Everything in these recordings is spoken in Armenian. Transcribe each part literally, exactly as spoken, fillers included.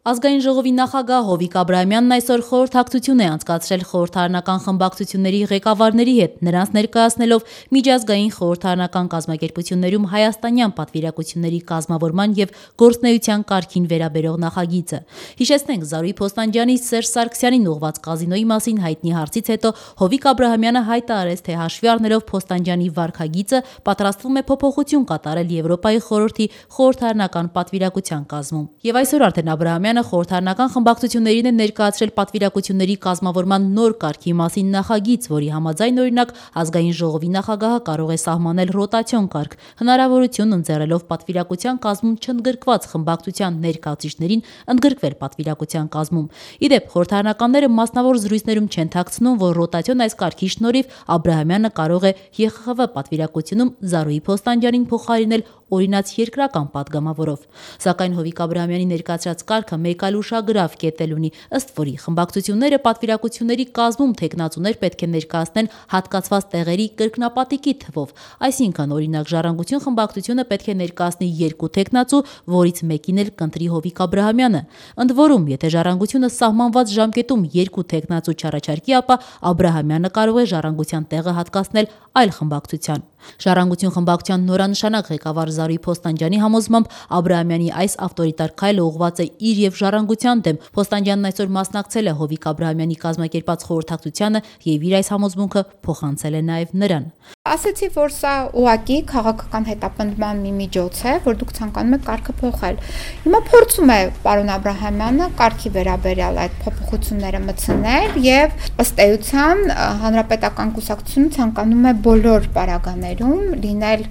Ազգային ժողովի նախագահ Հովիկ Աբրահամյանն այսօր խորհրդակցություն է անցկացրել խորհրդարանական խմբակցությունների ղեկավարների հետ, նրանց ներկայացնելով միջազգային խորհրդարանական կազմակերպություններում հայաստանյան պատվիրակությունների կազմավորման եւ գործունեության կարգին վերաբերող նախագիծը։ Հիշեցնենք, Զարուհի Փոստանջյանի Սերժ Սարգսյանին ուղղված կազինոյի մասին հայտնի հարցից հետո Հովիկ Աբրահամյանը հայտարարեց, թե հաշվի առնելով Փոստանջյանի վարքագիծը պատրաստվում է փոփոխություն կատարել Եվրոպայի խորհրդի խորհրդարանական պատվիրակության կազմում։ Եվ այսօր արդեն Աբրահամյանը խորհրդարանական խմբակցություններին է ներկայացրել պատվիրակությունների կազմավորման նոր կարգի մասին նախագիծ, որի համաձայն օրինակ ազգային ժողովի նախագահը կարող է սահմանել ռոտացիոն կարգ, հնարավորություն ընձեռելով պատվիրակության կազմում չընդգրկված խմբակցության ներկայացուցիչներին ընդգրկվել պատվիրակության կազմում։ Իդեպ խորհրդարանականները մասնավոր զրույցներում չեն թաքցնում, որ ռոտացիոն այս կարգի շնորհիվ Աբրահամյանը կարող է Ե Խ Խ Վ պատվիրակությունում Զարուհի Փոստանջյանին փոխարինել օրինաց երկրական պատգամավորով։ Սակայն Հովիկ Աբրահամյանի ներկայացրած կարգը մեկ այլ ուշագրավ կետել ունի, ըստ որի խմբակցությունները պատվիրակությունների կազմում թեկնածուներ պետք է ներկայացնեն հատկացված տեղերի կրկնապատիկի թվով, այսինքն օրինակ Ժառանգություն խմբակցությունը պետք է ներկայացնի երկու թեկնածու, որից մեկին էլ կընտրի Հովիկ Աբրահամյանը։ Ընդ որում, եթե Ժառանգությունը սահմանված ժամկետում երկու թեկնածու չառաջարկի, ապա Աբրահամյանը կարող է Ժառանգության տեղը հատկացնել այլ խմբակցության։ Ժառանգություն խմբակցության նորանշանակ ղեկավար Զարուհի Փոստանջյանի համոզմամբ Աբրահամյանի այս ավտորիտար քայլը ուղղված է իր եւ Ժառանգության դեմ։ Փոստանջյանն այսօր մասնակցել է Հովիկ Աբրահամյանի կազմակերպած խորհրդակցությանը եւ իր այս համոզմունքը փոխանցել է նաեւ նրան։ Ասացի, որ սա ուղղակի քաղաքական հետապնդման մի միջոց է, որ դուք ցանկանում եք կարգը փոխել։ Հիմա փորձում է պարոն Աբրահամյանը կարգի վերաբերյալ այդ փոփոխությունները մտցնել եւ ըստ էության հանրապետական կուսակցությունը ցանկանում է բոլոր պարագաներում լինել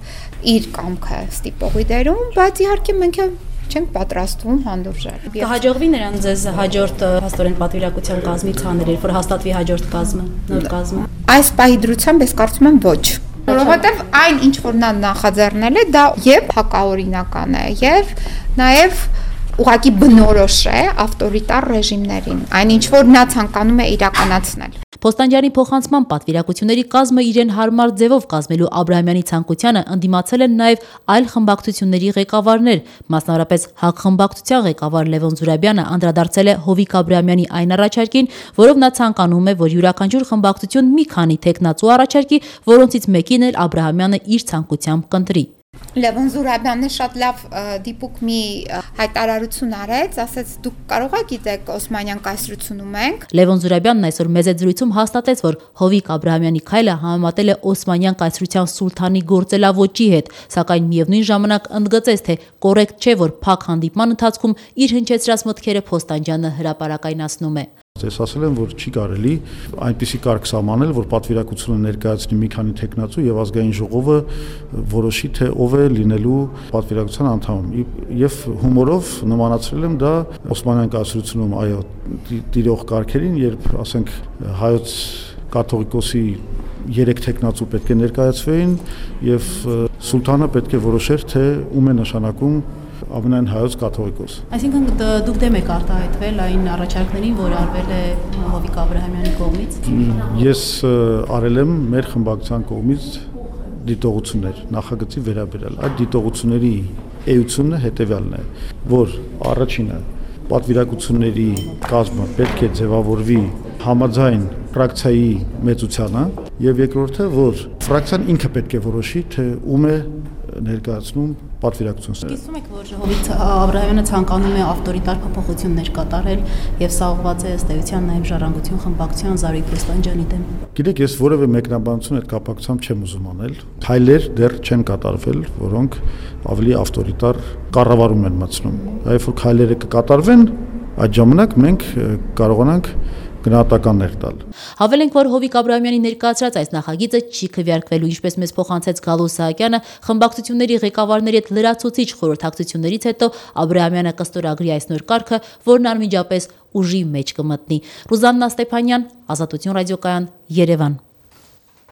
իր կամքը ստիպողի դերում, բայց իհարկե մենք չենք պատրաստվում հանդուրժել։ Կհաջողվի նրան ձեզ հաջորդ հաստորեն պատվիրակության կազմից հանել, որ հաստատվի հաջորդ կազմը, նոր կազմը։ Այս պահի դրությամբ ես կարծում եմ ոչ։ Որովհետև այն ինչ որ նա նախաձեռնել է, դա եւ հակաօրինական է, եւ նաեւ ուղղակի բնորոշ է ավտորիտար ռեժիմներին, այն ինչ որ նա ցանկանում է իրականացնել։ Փոստանջյանի փոխանցման պատվիրակությունների կազմը իրեն հարմար ձևով կազմելու Աբրահամյանի ցանկությանը ընդդիմացել են նաև այլ խմբակցությունների ղեկավարներ, մասնավորապես ՀԱԿ խմբակցության ղեկավար Լևոն Զուրաբյանը անդրադարձել է Հովիկ Աբրահամյանի այն առաջարկին, որով նա ցանկանում է, որ յուրաքանչյուր խմբակցություն մի քանի թեկնածու առաջարկի, որոնցից մեկին էլ Աբրահամյանը իր ցանկությամբ կընտրի։ Լևոն Զուրաբյանը շատ լավ դիպուկ մի հայտարարություն արեց, ասաց դուք կարող եք գիտեք Օսմանյան կայսրությունում ենք։ Լևոն Զուրաբյանն այսօր մեծ զրույցում հաստատեց, որ Հովիկ Աբրահամյանի քայլը համեմատել է Օսմանյան կայսրության սուլթանի գործելավոճի հետ, սակայն միևնույն ժամանակ ընդգծեց, թե կոռեկտ չէ, որ փակ հանդիպման ընթացքում իր հնչեցրած մտքերը Փոստանջյանը հրապարակայնացնում է։ Ես ասել եմ, որ չի կարելի այնպիսի կարգ սահմանել, որ պատվիրակությունը ներկայացնի մի քանի թեկնածու եւ ազգային ժողովը որոշի, թե ով է լինելու պատվիրակության անդամ։ Եվ հումորով նմանացրել եմ դա Օսմանյան կայսրությունում, այո, տիրող կարգերին, երբ, ասենք, հայոց կաթողիկոսի երեք թեկնածու պետք է ներկայացվեին եւ սուլթանը պետք է որոշեր, թե ում է նշանակում ամենայն հայոց կաթողիկոս։ Այսինքն դուք դեմ եք արտահայտվել այն առաջարկներին, որ արվել է Հովիկ Աբրահամյանի կողմից։ Ես արել եմ մեր խմբակցության կողմից դիտողություններ նախագծի վերաբերյալ։ Այդ դիտողությունների էությունը հետևյալն է, որ առաջինը պատվիրակությունների կազմը պետք է ձևավորվի համաձայն ֆրակցիայի մեծությանը, եւ երկրորդը, որ ֆրակցիան ինքը պետք է որոշի, թե ում է ներկայացնում պատվիրակությունը։ Գիտում եք, որ Հովիկ Աբրահամյանը ցանկանում է ավտորիտար փոփոխություններ կատարել եւ սա ուղղված է ըստ էության նաեւ Ժառանգություն խմբակցության Զարուհի Փոստանջյանի դեմ։ Գիտեք, ես որևէ մեկնաբանություն այդ կապակցությամբ չեմ ուզում անել։ Քայլեր դեռ չեն կատարվել, որոնք ավելի ավտորիտար կառավարում են մտցնում։ Այլ որ քայլերը կկատարվեն, այդ ժամանակ մենք կարողանանք գնահատականներ տալ։ Հավելենք, որ Հովիկ Աբրահամյանի ներկայացրած այս նախագիծը չի քվեարկվելու, ինչպես մեզ փոխանցեց Գալոս Սահակյանը, խմբակցությունների ղեկավարների հետ լրացուցիչ խորհրդակցություններից հետո Աբրահամյանը կստորագրի այս նոր կարգը, որն անմիջապես ուժի մեջ կմտնի։ Ռուզաննա Ստեփանյան, Ազատություն ռադիոկայան, Երևան։